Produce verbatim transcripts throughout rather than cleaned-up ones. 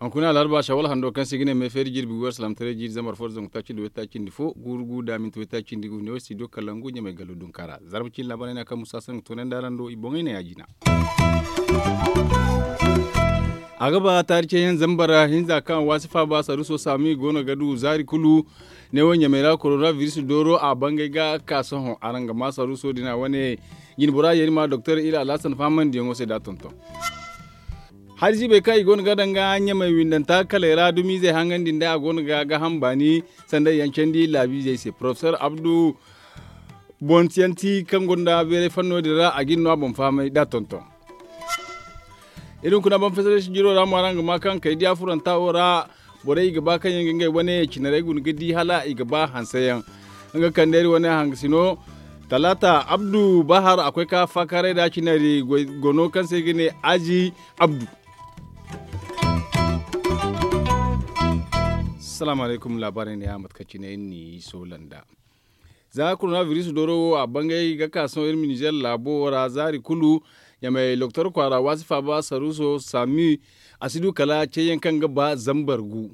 Hunkuna alarba shawal hando kaŋ se i ga ne meefeeri jirbi wer salamtaray jiiri zambar fo da zangu taaci nda waytaaci nda fo guuru gu da minti waytaaci nda gu ne wo studio kalangu ɲamay gallo dunkaara zarma cine laabaray no kaŋ musa sanni ga toonandi araŋ do i boŋey ne ya-jina. A ga ba taari ceeyaŋ zambar hinza kaŋ a waasi faaba saruso saami go no ga du zaari kulu. Ne wo ɲamay ra korona biris dooro a bangay ga ka sohõ araŋ ga ma saruso din a wane. Jinbora yeeri ma doktor ila alhasan fahamandiyaŋo se da tonton. Hari ziibey kaŋ i go no ga daŋ ga ɲamay windanta kaley ra dumizey haŋandi nda a go no ga gaham baani sanday yaŋ candi laabiizey se porofesor abdu bontiyanti kaŋ gonda beeray fanno din ra a ga iri no a boŋ fahamay da tonton. Iri hunkuna boŋ fesarey si jiro ra mo araŋ ga ma kaŋ kay diya furanta wo ra. Borey i ga ba kaŋ yaŋ ga ngey wane cinarey guna ga di hala i ga ba hanseyaŋ. Nga kande iri wane hangasino talaata abdu bahar a koy ka faakaaray da cinari gono kaŋ se i ga ne azi abdu. Salaamu alaykum laabaarey ne ya mate kaŋ cine iri n'i soolanda. Za korona biris dooro wo a bangay ga ka sohõ iri ma nizeer laabo wo ra zaari kulu. Ɲamay loktor kwaara waasi faaba saruso sami a si du kala ceeyaŋ kaŋ ga ba zambar gu.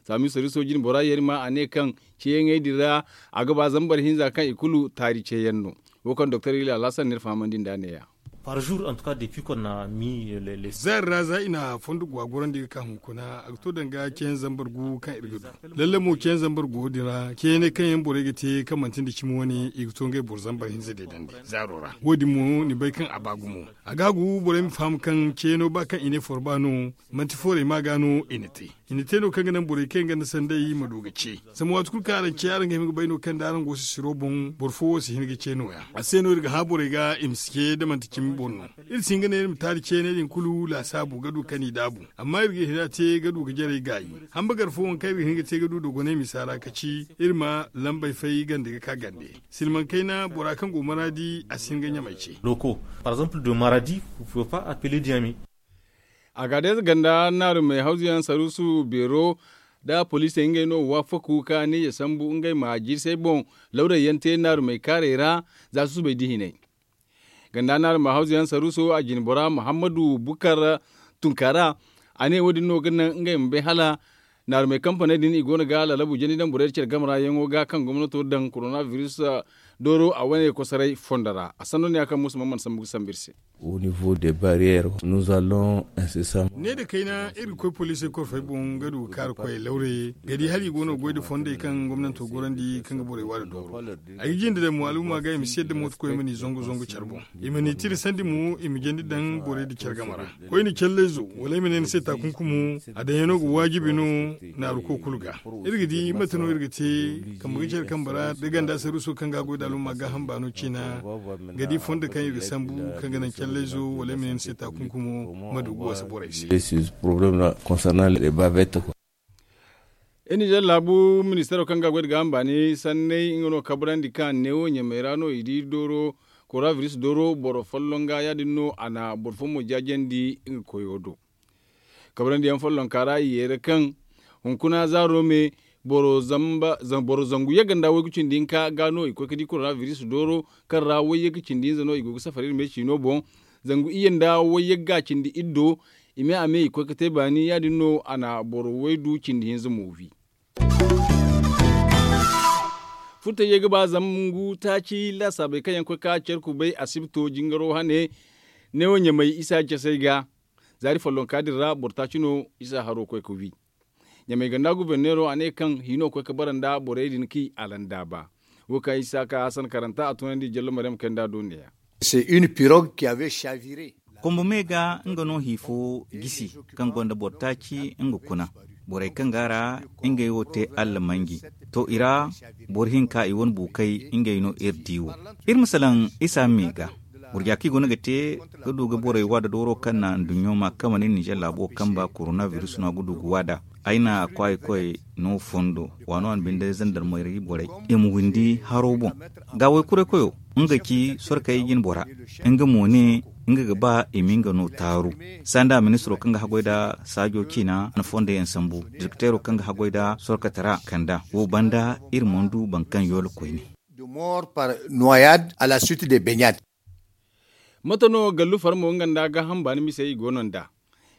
Sami saruso jine bora yeeri ma a ne kaŋ ceeyaŋey din ra a ga ba zambar hinza kaŋ i kulu taari ceeyaŋ no. Wo kaŋ doktor ila alhasan n'iri fahamandi nd'a ne-ya. Par jour en tout cas depuis qu'on a mis les. Zaari ra za i na fondo gwa gorandi ga ka hunkuna a ga to danga ceeyaŋ zambar gu kaŋ iri ga du. Lalle mo ceeyaŋ zambar gu din ra ceeyaŋey kaŋ yaŋ borey ga te kaŋ manti nda cimi wane i ga to ngey boro zambar hinza deedandi zaaro ra wo- din mo ni bay kaŋ a ba gumo. A ga gu borey ma faham kaŋ ceeyaŋo ba kaŋ i ne forba no manti foorey ma ga no i na te. I na te no kaŋ ga naŋ borey kaŋ yaŋ ganda sanday ma du ga ce. Zama waati kulu kaŋ araŋ ce araŋ ga hima ga bay no kaŋ da araŋ go sisiro boŋ boro fo wo si hin ga ce nooya a se no iri ga hã borey ga i ma si ce da manti cimi boro no. Iri si hin ga ne iri ma taari ceeney din kulu laasaabu ga du kaŋ i daabu. Amma iri ga hina te ga du ga jarey gaayi. Hamba gar fo waŋ kaŋ iri ga hin ga te ga du dogoney misa ra ka ci iri ma lambey fay gande ga ka gande. Silmaŋ kayna bora kaŋ go maraadi a si hin ga ɲamay ce. Loko par exemple de maradi vous pouvez pas appeler diami. A ga day za ganda naarumey hawzuyaŋ saruusu beero da poliisey ngey no waafaku ka ne ya sambu ngey ma jirsey boŋ lawray yaŋ te naarumey kaarey ra. Za susubay da hinay ganda naarumey hawzuyaŋ saruuso a jine bora muhammadu bukar tunkaara. A ne wo- din no ga naŋ ngey ma bay hala naarumey kampaney din i go no ga lalabu jandi daŋ borey da care game ra yaŋo ga kaŋ gomnato daŋ korona biris dooro a wane kosoray fondo ra a sanno ne ya kaŋ musa man mana sambu ga sambu iri se. Au niveau des barrières nous allons incessamment. Ne nda kayna iri ga koy poliisey korfey boŋ ga du ga kaari koyey lawre ga di hala i go no ga goy nda fondey kaŋ gomnanto gorandi kaŋ ga borey waani dooro. Ay ga jinde daŋ mo alumma ga i ma si yadda mooto koy ma ni zangu zangu care boŋ. I ma ni tira sandi mo i ma jandi daŋ borey nda care game ra. Koyne callayzo wala ay ma ne ni se taakunkumo a daŋyaŋo ga waajibi no. Naaruko kulu ga iri ga di mate no iri ga te kambe ga care kambe ra da ganda saruuso kaŋ ga a goy nda alumma gaaham baano ciina. Ga di fondo kaŋ iri ga sambu kaŋ ga naŋ callayzo wala ay ma ne ni se taakunkumo ma du ga wasa borey se. Problème concernant les bavettes quoi. Iri nizer laabu ministaro kaŋ ga a goy nda gaaham baani sanney nga no kabrandi kaŋ a ne wo ɲamey ra no i di dooro korona biris dooro boro folloŋ ga ya- din no a na boro fo mo jaajandi nga koyo do. Kabrandi yaŋ follonka ra i yeera kaŋ hunkuna zaaro me boro zangu yagga nda waygu cindi hinka ga no i koy ga di korona biris dooro kaŋ ra wayyaga cindi hinza no i go ga safar iri me ciino boŋ. Zangu iyye nda wayyagga cindi iddo i me a me i koy ga te baani ya- din no a na boro waydu cindi hinza mo wi. Furtayey ga ba zangu taaci laasaabey kaŋ yaŋ koy ka care kubay asibto jingaro hane. Neewo ɲamay isa casey ga zaari follonka din ra boro taaci no isa haro koy ga wi. Ɲamay ganda guberneero a ne kaŋ hino koy ga bara nda borey din kaŋ i alandaaba. Wo kaŋ isa ka hasan karanta a tunandi jallo maryam kay nda a do neeya. C'est une pirogue qui avait chaviré. Kombo me ga nga no hi fo gisi kaŋ gonda boro taaci nga kuna borey kaŋ ga a ra ngey wo te allamanji. To i ra boro hinka i wane buukey ngey no iri di wo. Iri ma salaŋ isa me ga gurja kaŋ i guna ga te ga du ga borey waada dooro kaŋ na nduɲɲo ma kama ne ninzeer laabo kamba korona biris no a ga du ga waada. Ay na a kwaayey koy no fondo waano a na binde zandarmari borey i ma windi haro boŋ. Ga waykuray koyo nga ci sorkey jine bora nga mo ne Nga ga ba i ma nga no taaru. Sanda ministiro kaŋ ga haggoy nda saajo ciina na fondo yaŋ sambu, direkteero kaŋ ga haggoy nda sorkatara kanda wo banda, iri mana du boro kaŋ yoolo koyne. De mort par noyade à la suite de baignade. Mate no gallu farmo nga nda gaaham baani misey i go no nd'a?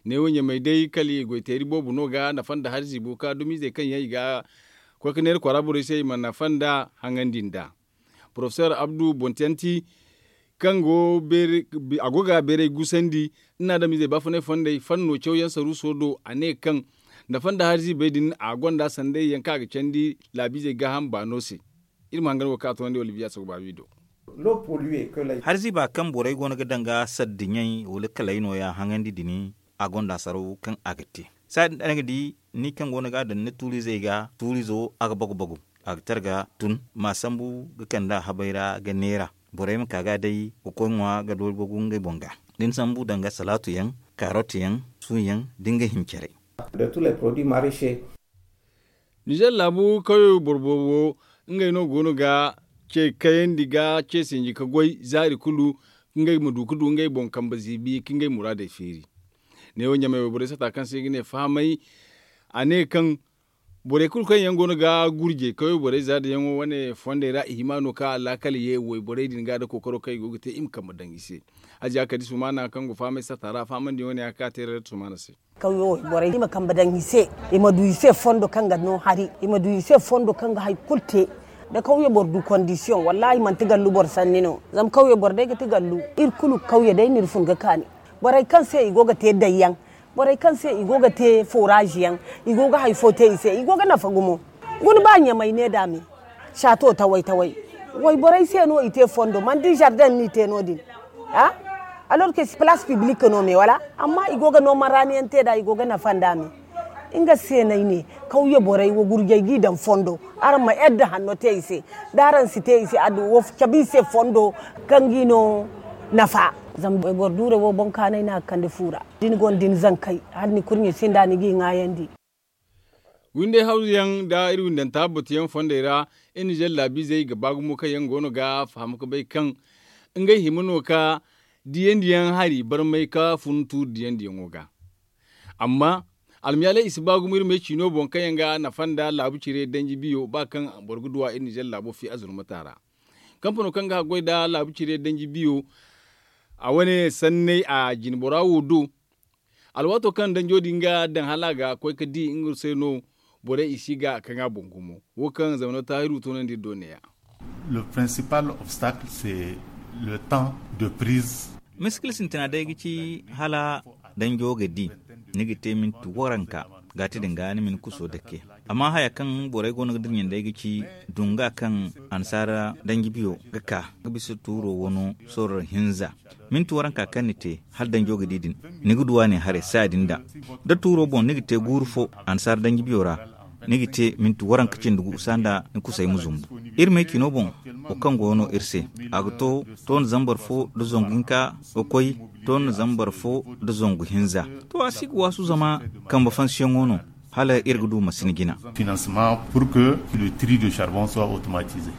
Neewo ɲamey day kala i goy teeri boobo no ga nafa nda hari ziibo ka dumizey kaŋ yaŋ i ga koy ga neera kwaara borey se i ma nafa nda haŋandi nd'a. Porofesor abdu bontiyanti kaŋ go a go ga beeray gusandi nda adamizey baafunay fondey fanno cawyaŋ saruuso do a ne kaŋ nafa nda hari ziibey din a gonda sanday yaŋ kaŋ a ga candi laabiizey gaaham baano se. Iri ma hangan wo kaŋ a toonandi olivier asogobaabi do. Hari ziiba kaŋ borey go no ga daŋ ga saddiɲey wala kalay nooya haŋandi din a gonda saraw kaŋ a ga te. Saadi nda ni ga di ni kaŋ go no ga a daŋ ni tuuriizey ga tuuriizo a ga bagu bagu a ga targa tun ma sambu ga kand'a habay ra ga neera. Borey ma ka ga day ga koy ŋwa ga doori bagu ngey boŋ ga da ni sambu daŋ ga salaatu yaŋ, kaarot yaŋ, suuyaŋ da nga hincarey. Nizer laabu kawyo boro boobo ngey no go no ga ce kayandi ga ce sinji ka goy zaari kulu ngey ma du ga du ngey boŋ kambe ziibi ka ngey muraadey feeri. Neewo ɲamey wayborey sata kaŋ se i ga ne fahamay a ne kaŋ borey kulu kaŋ yaŋ go no ga gurjey kawyo borey za da yaŋo wane fondey ra i hima no ka alaakal ye wayborey din ga da kookaro kaŋ i go ga te i ma kambe daŋ i se. Haziya kadi sumaana kaŋ go fahamay sata ra fahamandi wane ya kaŋ a te ra sumaana se. Kawyo borey i ma kambe daŋ i se, i ma du i se fondo kaŋ ga no hari, i ma du i se fondo kaŋ ga hari kulu te. Da kawyo boro du kondisiyoŋ wallaahi manti gallu boro sanni no. Zama kawyo boro day ga ti gallu iri kulu kawyo day no iri fun ga kaani. Borey kaŋ se i go ga te dayyaŋ, borey kaŋ se i go ga te foraazi yaŋ, i go ga hari fo te i se i go ga nafa gumo. Guna ba ɲamay ne da me saato taway taway. Wayborey se no i te fondo manti zardeŋ no i te no- din. Alor ke palaas piblik no me wala amma i go ga no maraani yaŋ te nd'a i go ga nafa nd'a me. Nga se no ay ne kawye borey wo gurjey g'i daŋ fondo. Araŋ ma yadda hanno te i se da araŋ si te i se adduwa wo cabe i se fondo kaŋ g'i no nafa. Zama boro duurey wo boŋ kaanay no a ga kande fu ra da ni gonda ni zankey hala ni kurɲe sinda ni g'i ŋwaayandi. Windey hawzuyaŋ nda iri windanta batuyaŋ fondey ra iri nizer laabiizey ga ba gumo kaŋ yaŋ go no ga faham ga bay kaŋ ngey hima no ka diyandiyaŋ hari barmay ka fun tuuri diyandiyaŋo ga. Amma almiyaaley i si ba gumo iri me ciino boŋ kaŋ yaŋ ga nafa nda laabu cire danji biyo ba kaŋ boro ga duw'a iri nizer laabo fi azurmata ra. Kampano kaŋ ga haggoy nda laabu cire danji biyo a wane sanney a jinbora wo do. Alwaato kaŋ danjo din ga daŋ hala a ga koy ga di nga se no borey i si ga kaŋ a boŋ gumo. Wo kaŋ zamano taahiru toonandi iri do neeya. Le principal obstacle c'est le temps de prise. Miskil sintina day ga ci hala danjo ga di ni ga te minti waranka ga ti din ga ni ma ni kuso dake. Amma haya kaŋ borey go no ga dirɲa day ga ci dunga kaŋ annasaara danji biyo ga ka ga bisa tuuro wano sorro hinza. Minti waranka kaŋ ni te hala danjo ga di din ni ga duw'a ne haray saaya din da da tuuro boŋ ni ga te guuru fo annasaara danji biyo ra ni ga te minti waranka cindi gu sanda ni kusay ma zumbu. Iri may cino boŋ wo kaŋ go no iri se a ga to toona zambar fo nda zangu hinka ga koy toona zambar fo nda zangu hinza. To a si ga waasu zama kambe fansiyaŋo no hala iri ga du masina jina. Financement pour que le tri de charbon soit automatisé.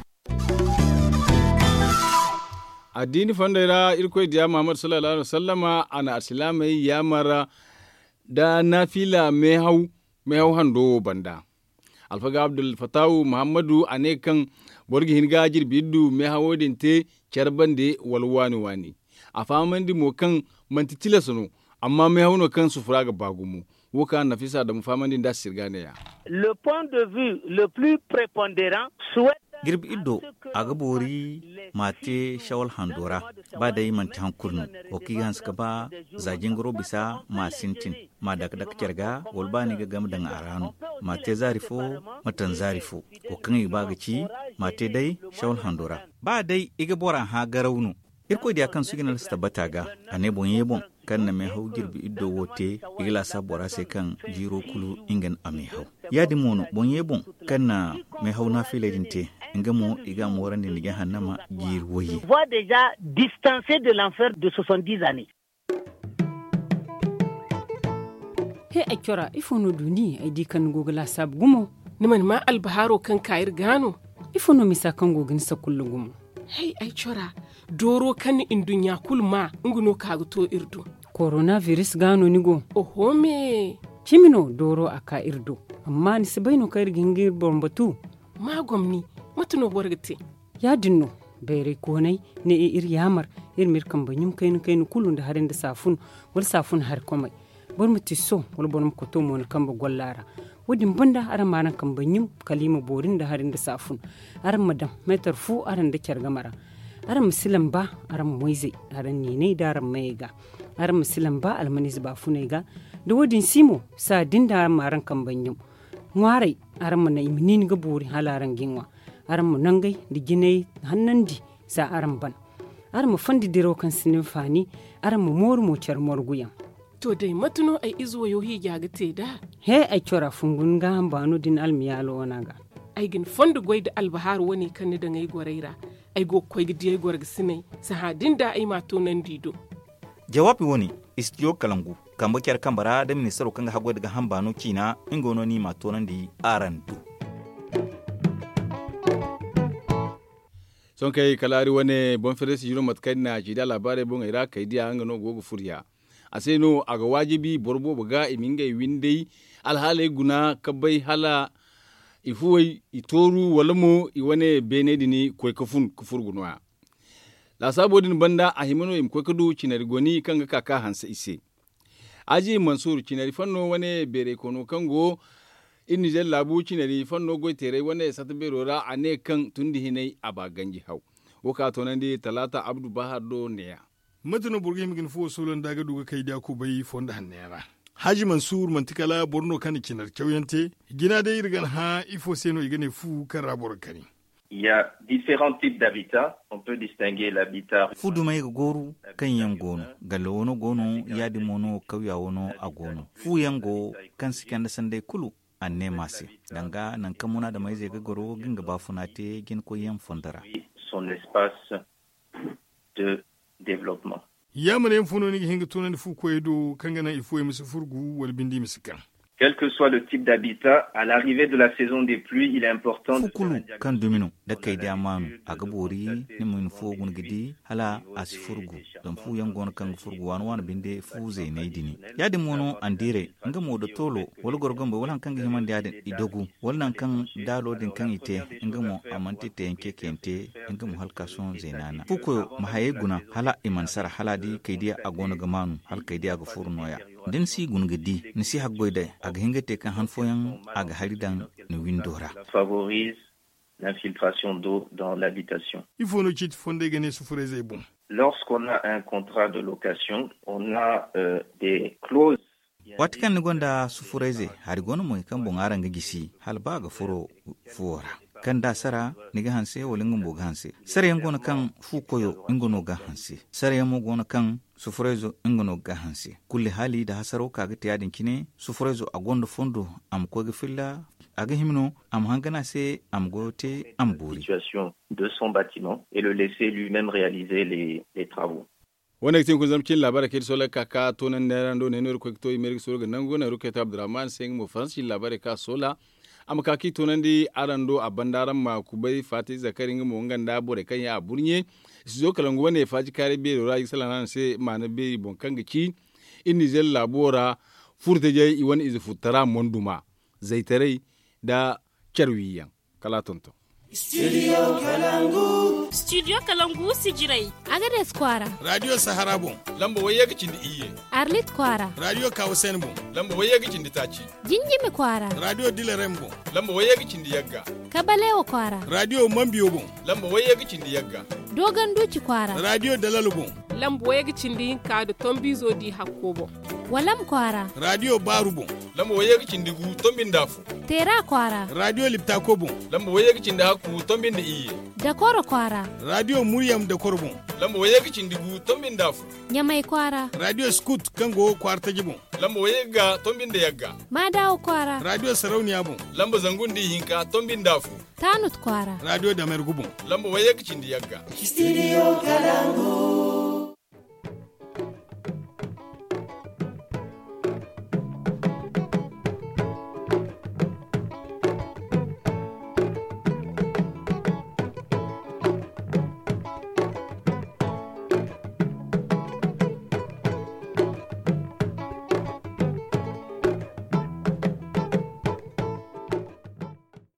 Addiini fondey ra irkoy diya muhammad sallallahu alaihi wasallama a na alsilaamey yaamar da naafila meehaw meehaw hando wo banda. Alfaga abdulfattahu muhammadu a ne kaŋ boro ga hin ga jirbi iddu meehawo din te care bande wala waani waani. A fahamandi mo kaŋ manti tilas no amma meehaw no kaŋ sufura ga ba gumo. Wo kaŋ a na nafisa adamu fahamandi nd'a sirga neeya. Le point de vue le plus preponderant souhaite girbi iddo a ga boori ma te shawal hando ra. Ba day manti hankuri no wo kaŋ i ga hanse ga ba za jingaro bisa ma sintin ma dake dake care ga wala ba ni ga game daŋ a ra no ma te zaari fo ma taŋ zaari fo. Wo kaŋ i ga ba ga ci ma te day shawal hando ra. Ba day i ga bora hã garaw no. Irkoy diya kaŋ sugi na si tabbata ga a ne boŋ ye boŋ kaŋ na meehaw jirbi iddo wo te i ga laasaabu bora se kaŋ jiiro kulu nga no a meehaw. Ya- din mo no boŋ ye boŋ kaŋ na meehaw naafiley din te nga mo i ga a moorandi nda jahannama jiiri wayye. Voit déjà distancé de l'enfer de soixante-dix années. He ay cora ifo no du ni ay di kaŋ ni go ga laasaabu gumo? Ni mana maa albahaaro kaŋ ka iri ga no? Ifo no misa kaŋ go ga ni sakulla gumo? Hay ay cora, Dooro kaŋ ni nduɲɲa kulu maa nga no ka ga to iri do. Korona biris ga no ni go? Oho me. Cimi no dooro a ka iri do. Amma ni si bay no kaŋ iri ga hin ga iri boŋ batu? Ma gomni, mate no boro ga te? Ya- din no, bayray koonay ne iri yaamar iri ma iri kambe ɲum kayna kayna kulu nda hari nda saafun, wala saafun hari komey. Boro ma tiso wala boro ma koto mo ni kambe golla ra. Wo- din banda araŋ ma araŋ kambe ɲum kala i ma boori nda hari nda saafun. Araŋ ma daŋ meetar fu araŋ nda care game ra. Araŋ ma si lamba araŋ moyzey, araŋ niinay nda araŋ mayey ga. Araŋ ma si lamba almaniize baafuney ga. Da wo- din si mo, saa din da araŋ ma araŋ kambe ɲum. Ŋwaaray, araŋ ma naŋ i ma niini ga boori hala araŋ ga i ŋwa. Araŋ ma nangey nda jinay hannandi, za araŋ ban. Araŋ ma fondi diraw kaŋ si ni hinfaani. Araŋ ma mooru mo care morguyaŋ. To day, mate no ay ize wayo hiija ga te nd'a? He, ay cora fungu ni gaaham baano da ni almiyaalo wana ga. Ay ga ni fondo goy nda albahaaru wane kaŋ ni daŋ ay gorey ra. Ay go ga koy ga di ay gorgasiney, sahã din da ay m'a toonandi i do. Jawaabi wane, istidiyo kalangu, kambe care kambe ra da ministaro kaŋ ga haggoy nda gaaham baano ciina, nga no ni m'a toonandi araŋ do. Sohõ kay kala hari wane boŋ fereesi jiro mate kaŋ ay na ci da laabaarey boŋey ra kay diya nga no go ga furya. A se no a ga waajibi boro boobo ga i ma ngey windey alhaaley guna ka bay hala i fuwey i tooru wala mo i wane beeney din koy ka fun ka furgu nooya. Laasaabo din banda a hima no i ma koy ka du cinari goni kaŋ ga ka ka hanse i se. Aji mansuur cinari fanno wane beeray koono kaŋ go iri nizer laabu cinari fanno goyteeray wane sata beero ra a ne kaŋ tundi hinay a ba ganji haw. Wo ka toonandi talaata abdu bahar do neeya. Mate no boro ga hima ga ni fuwo soolandi a ga du ga kay diya kubay fondo hanno yaŋ ra? Haaji mansuur manti kala boro no kaŋ na cinar cawyaŋ te. Jina day iri ga ni hã ifo se no i ga ne fu kaŋ ra boro ga kani? Il ya différents types d'habitat. On peut distinguer l'habitat. Fu dumey ga gooru kaŋ yaŋ go no. Galle wano go no, ya- din mo no kawya wano a go no. Fu yaŋ go kaŋ si candi sanday kulu, a ne ma se danga nankaŋ munaadamayzey ga goro ga nga baafuna te jinakoyyaŋ fondo ra. Son espace de développement. Ya ma ne mafo no ni ga hin ga tunandi fu koyey do kaŋ ga naŋ i fuwey ma si furgu wala bindi ma si kaŋ? Quel que soit le type d'habitat, à l'arrivée de la saison des pluies, il est important de faire un diagnostic. Fu kulu kaŋ dumi no da kay diya maanu, a ga boori ni ma ni fuwo guna ga di hala a si furgu. Zama fu yaŋ go no kaŋ ga furgu waani waani binde fu zeeney din. Ya- din mo no andiiray, nga mo da toolo wala gorgombo wala hari kaŋ ga himandi ya- din i dogu, wala nangu kaŋ daalo din kaŋ i te, nga mo a manti teeyaŋ ceeciyaŋ te. Nga mo hala ka sohõ zeena na fu koyo ma hayey guna hala i mana sara hala di kay diya a go no ga maanu hala kay diya ga furu nooya. Da ni si guna ga di, ni si haggoy day a ga hin ga te kaŋ han fooyaŋ a ga hari daŋ ni windo ra. Favorise l'infiltration d'eau dans l'habitation. Ifo no ciiti fondey ga ne sufurayzey boŋ? Lorsqu'on a un contrat de location, on a des clauses. Waati kaŋ ni gonda sufurayze hari go no mo kaŋ boŋ araŋ ga gisi hala ba a ga furo fuwo ra, kaŋ da a sara ni ga hanse wala nga bumbo ga hanse. Sarayaŋ go no kaŋ fu koyo nga no ga hanse. Sarayaŋ mo go no kaŋ sufurayzo nga no ga hanse. Kulli haali da hasaro ka ga te ya- din cine, sufurayzo a gonda fondo a ma koy ga filla. A ga hima no a ma hangana se a ma goyo te a ma boori. De son batiment et le laisser lui-même réaliser les travaux. Wane ga ti hunkuna zama cin laabaarey kaŋ iri soola ga ka ka toonandi neera ndo ne no iri koy ga to i ma iri ga soola ga nangu neera koy to abdurrahman se nga mo faransa cin laabaarey kaŋ a soola. A ma ka ka i toonandi araŋ do a banda araŋ ma kubay faati zakari nga mo nga nda borey kaŋ yaŋ a burɲe. Studio kalangu wane faaji kaaray beero ra i ga salaŋ araŋ se maana beeri boŋ kaŋ ga ci iri nizer laabo ra. Furtajey i wane ize furtara monduma zaytaray nda care wiyaŋ. Kala a tonton. Studio kalangu sijiray. Agades kwaara. Radio sahara boŋ. Lamba wayye ga cindi iyye. Arlit kwaara. Radio kawasen boŋ. Lamba wayye ga cindi taaci. Jinjimi kwaara. Radio dilarem boŋ. Lamba wayye ga cindi yagga. Kabalewa kwaara. Radio mambiyo boŋ. Lamba wayye ga cindi yagga. Doganduci kwaara. Radio dalalo boŋ. Lamba wayye ga cindi hinka nda tombizo di hakko boŋ. Walam kwaara. Radio baaru boŋ. Lamba wayye ga cindi gu tombi nda afo. Teera kwaara. Radio liptako boŋ. Lamba wayye ga cindi hakku tombi nda iyye. Dakoro kwaara. Radio muryam dakoro boŋ. Lamba wayye ga cindi gu tombi nda afo. Ɲamay kwaara. Radio skut kaŋ go kwaara taji boŋ. Lamba wayye ga tombi nda yagga. Maadawa kwaara. Radio sarauniya boŋ. Lamba zangu nda ihinka tombi nda afo. Taanut kwaara. Radio damergu boŋ. Lamba wayye ga cindi yagga. Studio kalangu.